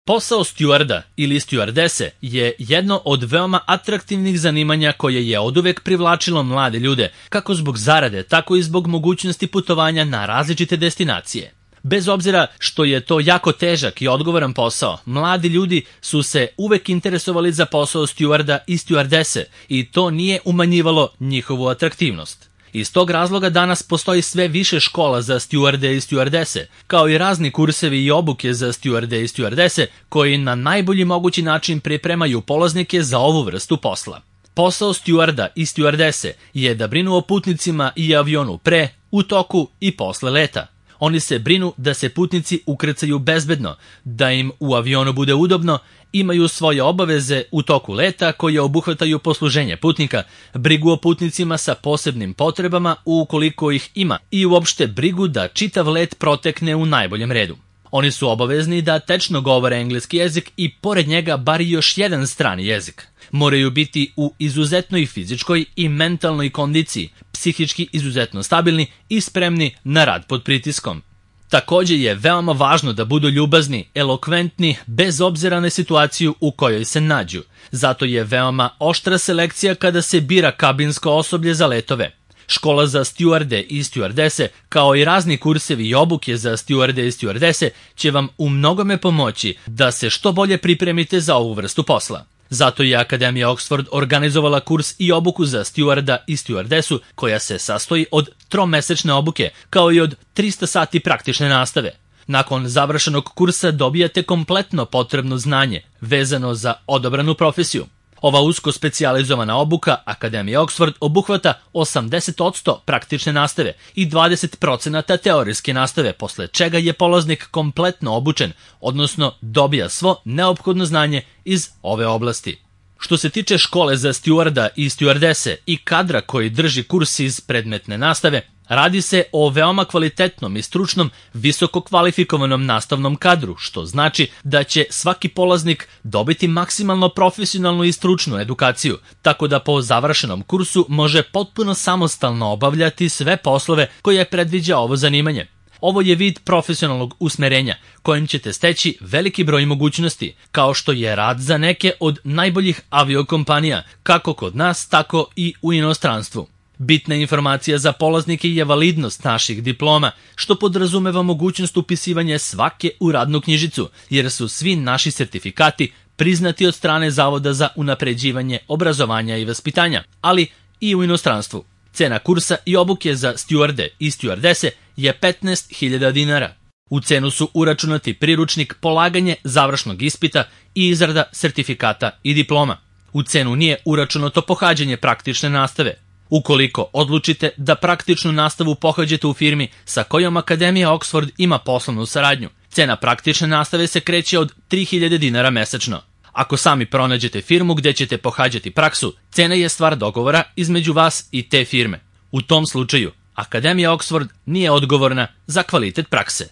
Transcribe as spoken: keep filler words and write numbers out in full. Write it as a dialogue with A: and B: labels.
A: Posao stjuarda ili stjuardese je jedno od veoma atraktivnih zanimanja koje je oduvek privlačilo mlade ljude, kako zbog zarade, tako i zbog mogućnosti putovanja na različite destinacije. Bez obzira što je to jako težak i odgovoran posao, mladi ljudi su se uvek interesovali za posao stjuarda i stjuardese i to nije umanjivalo njihovu atraktivnost. Iz tog razloga danas postoji sve više škola za stjuarde i stjuardese, kao i razni kursevi i obuke za stjuarde i stjuardese koji na najbolji mogući način pripremaju polaznike za ovu vrstu posla. Posao stjuarda i stjuardese je da brinu o putnicima i avionu pre, u toku i posle leta. Oni se brinu da se putnici ukrcaju bezbedno, da im u avionu bude udobno, imaju svoje obaveze u toku leta koje obuhvataju posluženje putnika, brigu o putnicima sa posebnim potrebama ukoliko ih ima i uopšte brigu da čitav let protekne u najboljem redu. Oni su obavezni da tečno govore engleski jezik i pored njega bar još jedan strani jezik. Moraju biti u izuzetnoj fizičkoj i mentalnoj kondiciji, psihički izuzetno stabilni i spremni na rad pod pritiskom. Također je veoma važno da budu ljubazni, elokventni, bez obzira na situaciju u kojoj se nađu. Zato je veoma oštra selekcija kada se bira kabinsko osoblje za letove. Škola za stjuarde i stjuardese, kao i razni kursevi i obuke za stjuarde i stjuardese, će vam u mnogome pomoći da se što bolje pripremite za ovu vrstu posla. Zato je Akademija Oxford organizovala kurs i obuku za stjuarda i stjuardesu koja se sastoji od tromesečne obuke, kao i od trista sati praktične nastave. Nakon završenog kursa dobijate kompletno potrebno znanje vezano za odabranu profesiju. Ova usko specijalizovana obuka Akademije Oxford obuhvata osamdeset posto praktične nastave i dvadeset posto teorijske nastave, posle čega je polaznik kompletno obučen, odnosno dobija svo neophodno znanje iz ove oblasti. Što se tiče škole za stjuarda i stjuardese i kadra koji drži kurs iz predmetne nastave, radi se o veoma kvalitetnom i stručnom, visoko kvalifikovanom nastavnom kadru, što znači da će svaki polaznik dobiti maksimalno profesionalnu i stručnu edukaciju, tako da po završenom kursu može potpuno samostalno obavljati sve poslove koje predviđa ovo zanimanje. Ovo je vid profesionalnog usmerenja, kojim ćete steći veliki broj mogućnosti, kao što je rad za neke od najboljih aviokompanija, kako kod nas, tako i u inostranstvu. Bitna informacija za polaznike je validnost naših diploma, što podrazumeva mogućnost upisivanja svake u radnu knjižicu, jer su svi naši sertifikati priznati od strane Zavoda za unapređivanje obrazovanja i vaspitanja, ali i u inostranstvu. Cena kursa i obuke za stjuarde i stjuardese je petnaest hiljada dinara. U cenu su uračunati priručnik, polaganje završnog ispita i izrada sertifikata i diploma. U cenu nije uračunato pohađanje praktične nastave. Ukoliko odlučite da praktičnu nastavu pohađate u firmi sa kojom Akademija Oxford ima poslovnu saradnju, cena praktične nastave se kreće od tri hiljade dinara mesečno. Ako sami pronađete firmu gdje ćete pohađati praksu, cena je stvar dogovora između vas i te firme. U tom slučaju, Akademija Oxford nije odgovorna za kvalitet prakse.